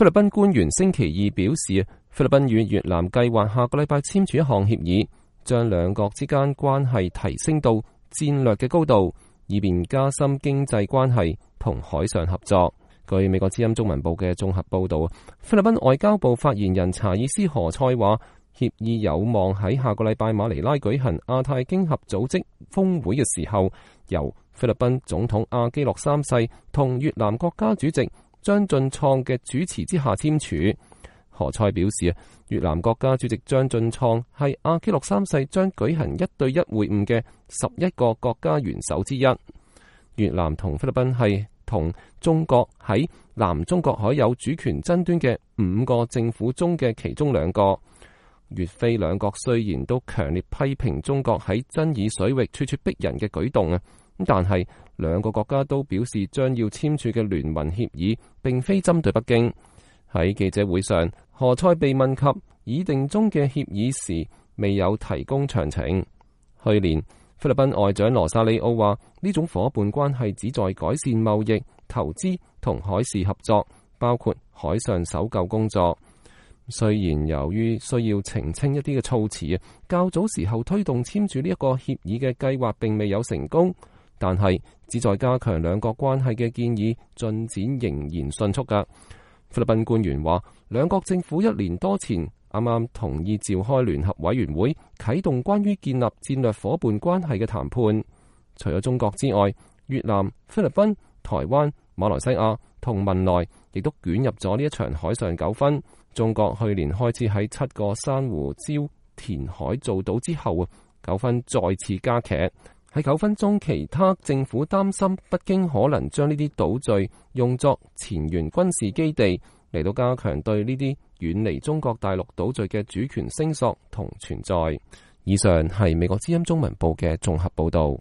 菲律賓官員星期二表示，菲律賓與越南計劃下個禮拜簽署一項協議，將兩國之間關係提升到戰略嘅高度，以便加深經濟關係同海上合作。據美國之音中文部嘅綜合報道，菲律賓外交部發言人查爾斯何塞話，協議有望喺下個禮拜馬尼拉舉行亞太經合組織峰會嘅時候，由菲律賓總統阿基諾三世同越南國家主席張俊創嘅主持之下簽署。何塞表示，越南國家主席張俊創係阿基諾三世將舉行1對1會晤嘅11個國家元首之一。越南同菲律賓係同中國喺南中國海有主權爭端嘅5個政府中嘅其中2個。越菲兩國雖然都強烈批評中國喺爭議水域處處逼人嘅舉動，但係兩個國家都表示將要簽署嘅聯盟協議並非針對北京。喺記者會上，何塞被問及擬定中嘅協議時，未有提供詳情。去年，菲律賓外長羅薩里奧話，呢種夥伴關係旨在改善貿易、投資同海事合作，包括海上搜救工作。雖然由於需要澄清一啲嘅措辭，較早時候推動簽署呢一個協議嘅計劃並未有成功，但係旨在加強兩國關係嘅建議進展仍然迅速㗎。菲律賓官員話，兩國政府1年多前啱啱同意召開聯合委員會，啟動關於建立戰略夥伴關係嘅談判。除咗中國之外，越南、菲律賓、台灣、馬來西亞同文萊亦都捲入咗呢一場海上糾紛。中國去年開始喺7個珊瑚礁填海造島之後，糾紛再次加劇。喺糾紛中，其他政府擔心北京可能將呢啲島嶼用作前沿軍事基地，嚟到加強對呢啲遠離中國大陸島嶼嘅主權聲索同存在。以上係美國之音中文部嘅綜合報導。